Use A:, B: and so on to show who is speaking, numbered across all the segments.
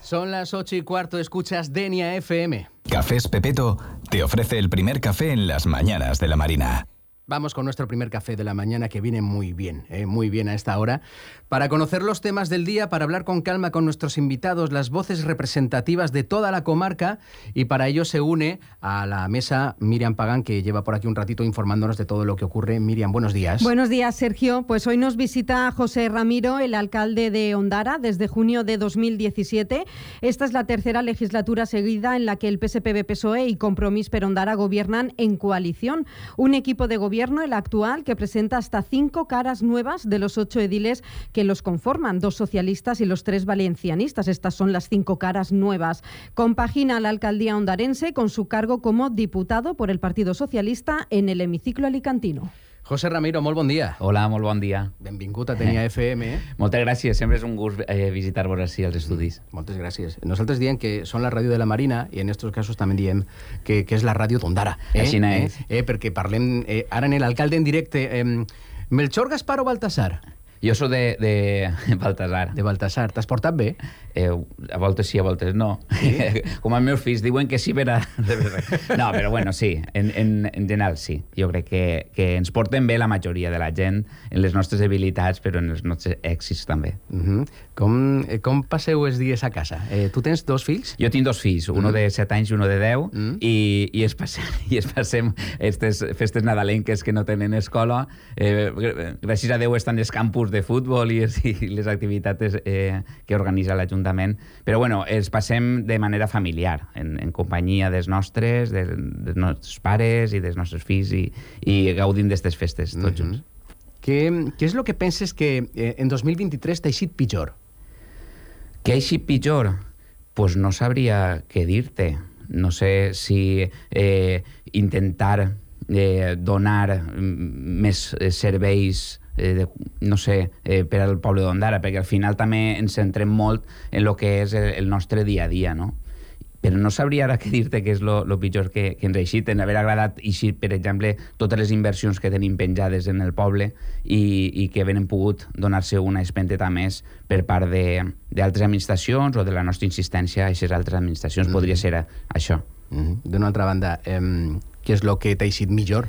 A: Son las 8:15, escuchas Denia FM.
B: Cafés Pepeto te ofrece el primer café en las mañanas de la Marina.
A: Vamos con nuestro primer café de la mañana, que viene muy bien a esta hora, para conocer los temas del día, para hablar con calma con nuestros invitados, las voces representativas de toda la comarca, y para ello se une a la mesa Miriam Pagán, que lleva por aquí un ratito informándonos de todo lo que ocurre. Miriam, buenos días.
C: Buenos días, Sergio. Pues hoy nos visita José Ramiro, el alcalde de Ondara, desde junio de 2017. Esta es la tercera legislatura seguida en la que el PSPB-PSOE y Compromís per Ondara gobiernan en coalición. Un equipo de gobierno, el actual, que presenta hasta 5 caras nuevas de los 8 ediles que los conforman, 2 socialistas y los 3 valencianistas. Estas son las 5 caras nuevas. Compagina la alcaldía ondarense con su cargo como diputado por el Partido Socialista en el hemiciclo alicantino.
A: José Ramiro, molt bon dia.
D: Hola, molt bon dia.
A: Benvingut a Denia FM.
D: Moltes gràcies, sempre és un gust visitar-vos així als estudis.
A: Moltes gràcies. Nosaltres diem que són la ràdio de la Marina i en estos casos també diem que és la ràdio d'Ondara.
D: Així és.
A: Perquè parlem ara en l'alcalde en directe. Melchor, Gaspar o Baltasar?
D: Jo soc de Baltasar.
A: De Baltasar. T'has portat bé?
D: A voltes sí, a voltes no. Sí? Com els meus fills diuen que sí, però... No, però bueno, sí, en general sí. Jo crec que ens portem bé la majoria de la gent en les nostres habilitats, però en els nostres èxits també.
A: Com passeu els dies a casa? Tu tens 2 fills?
D: Jo tinc 2 fills, uno de 7 anys i uno de 10, i es passem aquestes festes nadalenques que no tenen escola. Gràcies a Déu estan els campus de futbol i les activitats que organitza l'Ajuntament. Però bueno, els passem de manera familiar, en companyia dels nostres pares i dels nostres fills, i gaudim d'aquestes festes tots junts.
A: Què és el que penses que en 2023 t'ha eixit pitjor?
D: Què ha eixit pitjor? Pues no sabria què dir-te. No sé si intentar donar més serveis per al poble d'Ondara, perquè al final també ens centrem molt en el que és el nostre dia a dia, no? Però no sabria ara què dir-te que és el pitjor que ens ha eixit, en haver agradat eixir, per exemple, totes les inversions que tenim penjades en el poble i que ben pogut donar-se una espenteta més per part d'altres administracions o de la nostra insistència a aquestes altres administracions. Podria ser això.
A: D'una altra banda, què és el que t'ha eixit millor?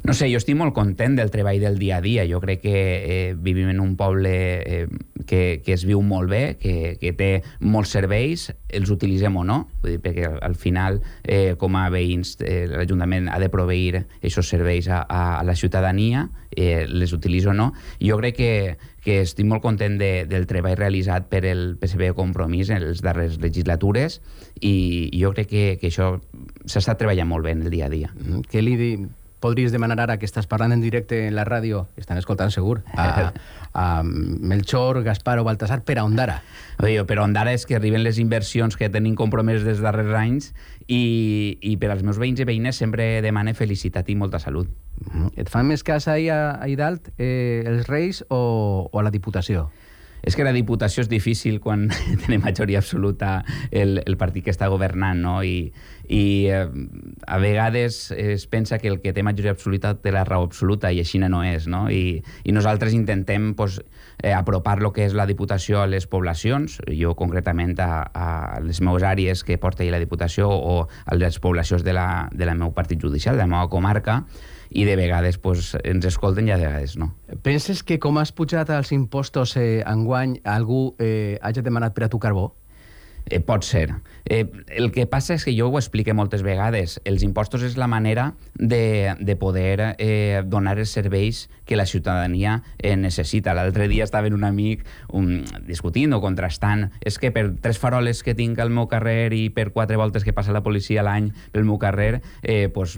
D: No sé, jo estic molt content del treball del dia a dia. Jo crec que vivim en un poble que es viu molt bé, que té molts serveis, els utilitzem o no, vull dir, perquè al final, com a veïns, l'Ajuntament ha de proveir aquests serveis a la ciutadania, les utilitzo o no. Jo crec que estic molt content del treball realitzat per el PSPB Compromís en les darreres legislatures, i jo crec que això s'està treballant molt bé en el dia a dia.
A: Què li podries demanar ara que estàs parlant en directe en la ràdio, que estan escoltant segur, a Melchor, Gaspar o Baltasar per a Ondara?
D: Per a Ondara és que arriben les inversions que tenim compromeses des dels darrers anys, i per als meus veïns i veïnes sempre demane felicitat i molta salut.
A: Et fan més cas ahir dalt els Reis o a la Diputació?
D: És que la Diputació és difícil quan tenim majoria absoluta el partit que està governant, no? I a vegades es pensa que el que té majoria absoluta té la raó absoluta, i així no és, no? I nosaltres intentem apropar el que és la Diputació a les poblacions, jo concretament a les meves àrees que porta la Diputació, o a les poblacions del meu partit judicial, de la meva comarca, i de vegades ens escolten i a vegades no.
A: Penses que com has pujat els impostos enguany, algú hagi demanat per a tu carbó?
D: Pot ser. El que passa és que jo ho explico moltes vegades. Els impostos és la manera de poder donar els serveis que la ciutadania necessita. L'altre dia estava un amic discutint o contrastant. És que per 3 faroles que tinc al meu carrer i per 4 voltes que passa la policia a l'any pel meu carrer,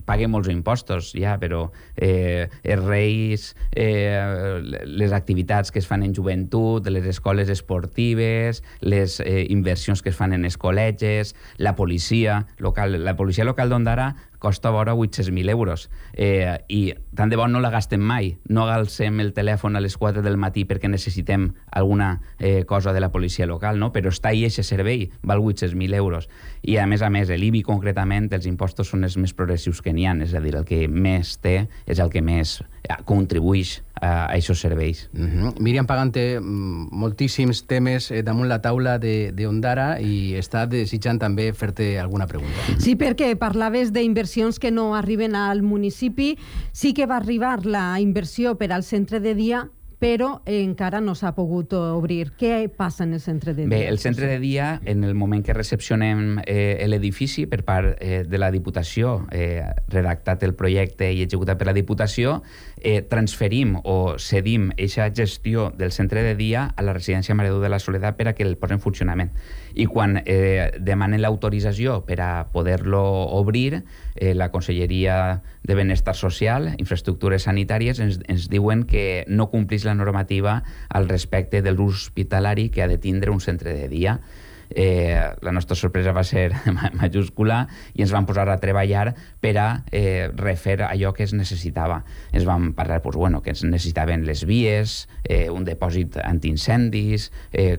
D: pague molts impostos, ja, però els Reis, les activitats que es fan en joventut, les escoles esportives, les inversions que es fan en els col·legis, la policia local d'Ondara costa vora 800.000 euros. I tant de bo no la gastem mai. No alcem el telèfon a les 4 del matí perquè necessitem alguna cosa de la policia local, no? Però està ahí aquest servei, val 800.000 euros. I a més, l'IBI concretament, els impostos són els més progressius que n'hi ha, és a dir, el que més té és el que més contribueix a aquests serveis.
A: Míriam Pagán té moltíssims temes damunt la taula d'Ondara i està desitjant també fer-te alguna pregunta.
C: Sí, perquè parlaves d'inversions que no arriben al municipi. Sí que va arribar la inversió per al centre de dia, però encara no s'ha pogut obrir. Què passa en el centre de dia?
D: Bé, el centre de dia, en el moment que recepcionem l'edifici per part de la Diputació, redactat el projecte i executat per la Diputació, transferim o cedim aquesta gestió del centre de dia a la residència Mare de la Soledat per a que el posi en funcionament. I quan demanen l'autorització per a poder-lo obrir, la Conselleria de Benestar Social, Infraestructures Sanitàries, ens diuen que no complís la normativa al respecte de l'ús hospitalari que ha de tindre un centre de dia. La nostra sorpresa va ser majúscula i ens vam posar a treballar per a refer allò que es necessitava. Ens vam parlar que es necessitaven les vies, un depòsit antiincendis,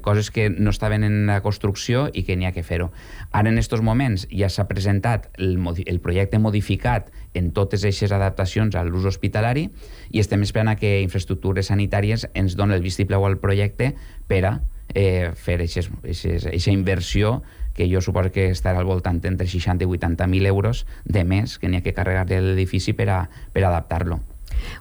D: coses que no estaven en la construcció i que n'hi ha que fer-ho. Ara, en aquests moments, ja s'ha presentat el projecte modificat en totes aquestes adaptacions a l'ús hospitalari i estem esperant que Infraestructures Sanitàries ens doni el vistiplau al projecte per a fer aquesta inversió que jo suposo que estarà al voltant entre 60 i 80.000 euros de més que n'hi ha que carregar l'edifici per adaptar-lo.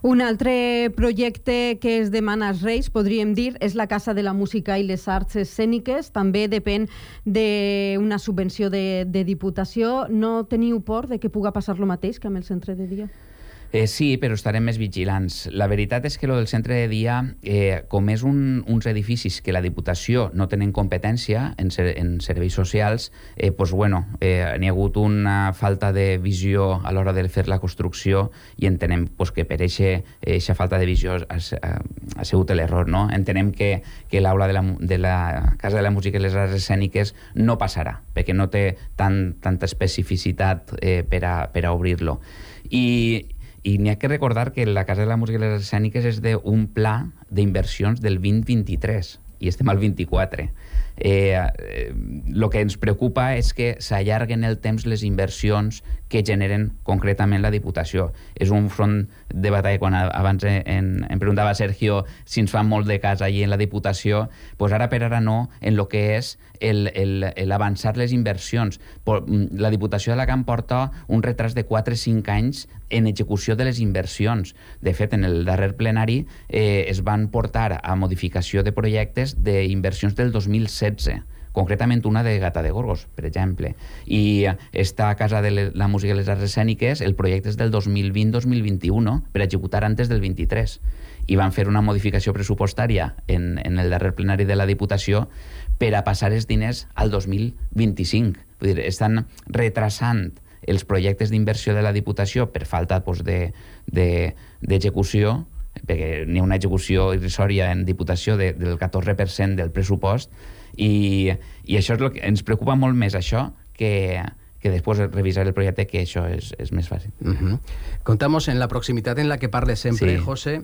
C: Un altre projecte que es demana als Reis, podríem dir, és la Casa de la Música i les Arts Escèniques. També depèn d'una subvenció de Diputació. No teniu por de que puga passar lo mateix que amb el centre de dia?
D: Sí, però estarem més vigilants. La veritat és que el centre de dia, com és uns edificis que la Diputació no tenen competència en serveis socials, n'hi ha hagut una falta de visió a l'hora de fer la construcció i entenem que per aquesta falta de visió ha sigut l'error. Entenem que l'aula de la Casa de la Música i les Arts Escèniques no passarà, perquè no té tanta especificitat per a obrir-lo. I n'hi ha que recordar que la Casa de la Música i les Arts Escèniques és d'un pla d'inversions del 2023 i estem al 24. El que ens preocupa és que s'allarguen el temps les inversions que generen concretament la Diputació. És un front de batalla. Quan abans em preguntava Sergio si ens fan molt de cas allí en la Diputació, doncs ara per ara no, en el que és l'avançar les inversions. La Diputació d'Alacant porta un retras de 4 o 5 anys en execució de les inversions. De fet, en el darrer plenari es van portar a modificació de projectes d'inversions del 2016, concretament una de Gata de Gorgos, per exemple. I esta Casa de la Música i les Arts Escèniques, el projecte és del 2020-2021, per executar antes del 23. I van fer una modificació pressupostària en el darrer plenari de la Diputació per a passar els diners al 2025. Vull dir, estan retrasant els projectes d'inversió de la Diputació per falta d'execució, perquè n'hi ha una execució irrisòria en Diputació del 14% del pressupost, i això és el que ens preocupa molt més, això, que després revisar el projecte, que això és més fàcil.
A: Contamos en la proximitat en la que parles sempre, sí. José,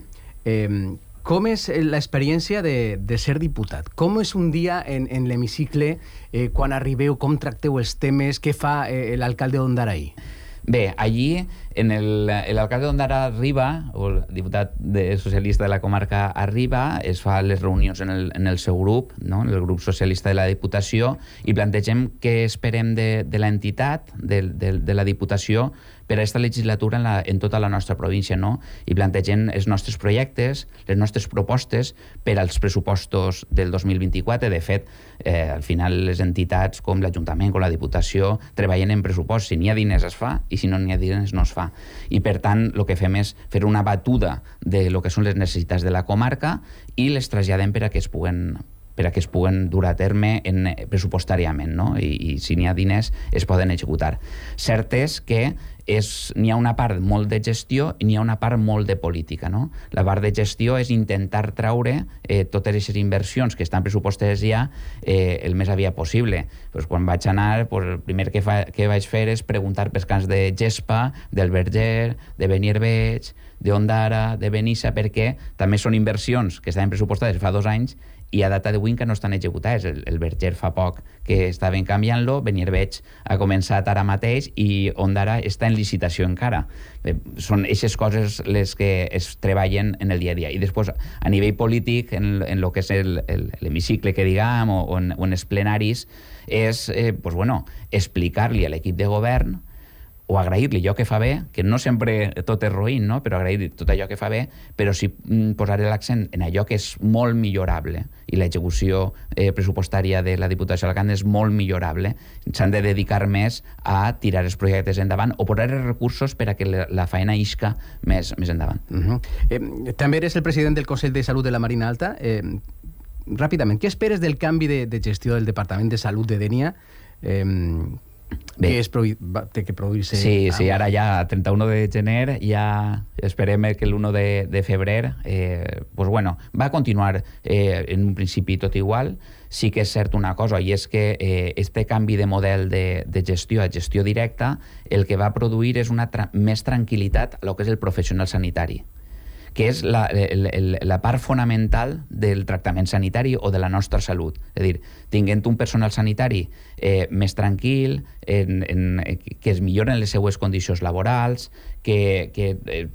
A: com és l'experiència de ser diputat? Com és un dia en l'hemicicle quan arribeu, com tracteu els temes, què fa l'alcalde d'Ondara ahir?
D: Bé, allí l'alcalde d'Ondara arriba, o el diputat socialista de la comarca arriba, es fa les reunions en el seu grup, no? En el grup socialista de la Diputació, i plantegem què esperem de l'entitat, de la Diputació, per a aquesta legislatura en tota la nostra província, no? I plantegem els nostres projectes, les nostres propostes per als pressupostos del 2024. De fet, al final les entitats com l'Ajuntament, com la Diputació, treballen en pressupost. Si n'hi ha diners es fa, i si no n'hi ha diners no es fa. I per tant, el que fem és fer una batuda de lo que són les necessitats de la comarca i les traslladem per a que es puguen per a que es puguen dur a terme pressupostàriament, no? I si n'hi ha diners es poden executar. Cert és que n'hi ha una part molt de gestió i n'hi ha una part molt de política, no? La part de gestió és intentar traure totes aquestes inversions que estan pressupostades ja el més aviat possible. Pues quan vaig anar, pues el primer que vaig fer és preguntar pels camps de Gespa, del Verger, de Benierveig, d'Ondara, de Benissa, perquè també són inversions que estaven pressupostades fa 2 anys i a data d'avui que no estan executades. El Verger fa poc que estaven canviant-lo, Benierveig ha començat ara mateix i Ondara està en licitació encara. Són aquestes coses les que es treballen en el dia a dia. I després, a nivell polític, en el que és l'hemicicle, que diguem, o en els plenaris, és explicar-li a l'equip de govern o agrair-li allò que fa bé, que no sempre tot és roïn, no? Però agrair-li tot allò que fa bé, però sí posar l'accent en allò que és molt millorable, i l'execució pressupostària de la Diputació d'Alacant és molt millorable. S'han de dedicar més a tirar els projectes endavant o posar els recursos per a que la feina isca més endavant.
A: També eres el president del Consell de Salut de la Marina Alta. Ràpidament, què esperes del canvi de gestió del Departament de Salut de Dénia? Que té que produir-se...
D: Sí, ara ja, a 31 de gener, ja esperem que l'1 de febrer va continuar en un principi tot igual. Sí que és cert una cosa, i és que este canvi de model de gestió a gestió directa el que va produir és una més tranquil·litat a lo que és el professional sanitari, que és la part fonamental del tractament sanitari o de la nostra salut. És a dir, tinguent un personal sanitari més tranquil, que es milloren les seues condicions laborals, que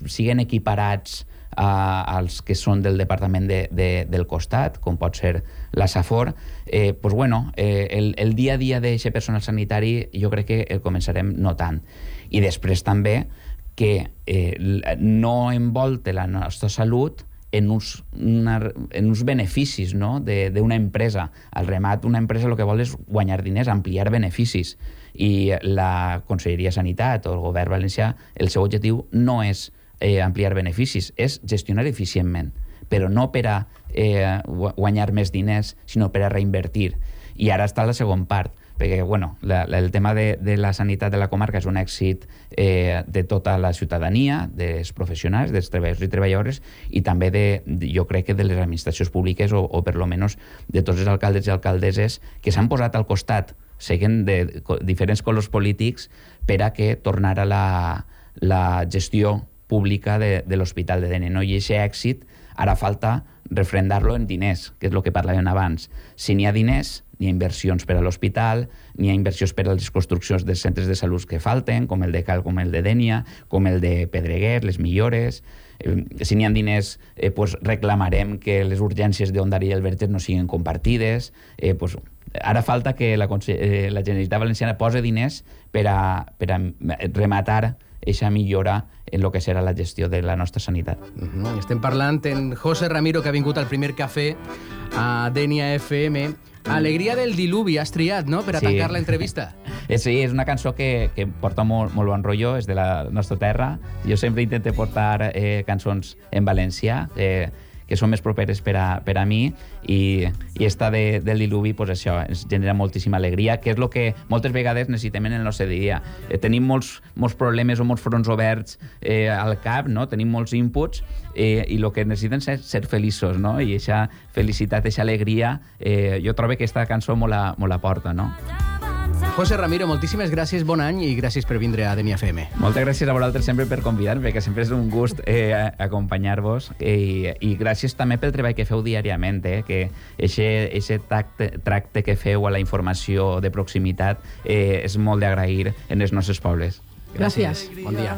D: siguen equiparats als que són del departament del costat, com pot ser la Safor, el dia a dia d'aquest personal sanitari jo crec que el començarem notant. I després també que no envolta la nostra salut en uns beneficis, no? d'una empresa. Al remat, una empresa el que vol és guanyar diners, ampliar beneficis. I la Conselleria de Sanitat o el govern valencià, el seu objectiu no és ampliar beneficis, és gestionar eficientment, però no per a guanyar més diners, sinó per a reinvertir. I ara està la segona part, perquè el tema de la sanitat de la comarca és un èxit de tota la ciutadania, dels professionals, dels treballadors i treballadores, i també jo crec que de les administracions públiques o per lo menos de tots els alcaldes i alcaldesses que s'han posat al costat, seguen de diferents colors polítics, per a que tornara la gestió pública de l'Hospital de Dénia. I aquest èxit ara falta refrendar-lo en diners, que és el que parlàvem abans. Si n'hi ha diners, n'hi ha inversions per a l'hospital, n'hi ha inversions per a les construccions dels centres de salut que falten, com el de Cal, com el de Dénia, com el de Pedreguer, les millores. Si n'hi ha diners, reclamarem que les urgències d'Ondara i el Verger no siguin compartides. Ara falta que la Generalitat Valenciana posi diners per a rematar aquesta millora en el que serà la gestió de la nostra sanitat.
A: Estem parlant en José Ramiro, que ha vingut al primer cafè a Dénia FM. Alegria del diluvi has triat, no?, per a tancar l'entrevista.
D: Sí, és una cançó que porta molt bon rotllo, és de la nostra terra. Jo sempre intento portar cançons en valencià, que són més properes per a mi, i esta del diluvi, això, ens genera moltíssima alegria, que és el que moltes vegades necessitem en el nostre dia. Tenim molts problemes o molts fronts oberts al cap, no? Tenim molts inputs, i el que necessiten és ser feliços, no? I aquesta felicitat, aquesta alegria, jo trobo que aquesta cançó molt la porta, no?
A: José Ramiro, moltíssimes gràcies, bon any i gràcies per vindre a Dénia FM.
D: Moltes gràcies a vosaltres sempre per convidar-me, perquè sempre és un gust acompanyar-vos, i gràcies també pel treball que feu diàriament, que aquest tracte que feu a la informació de proximitat és molt d'agrair en els nostres pobles.
C: Gràcies.
A: Bon dia.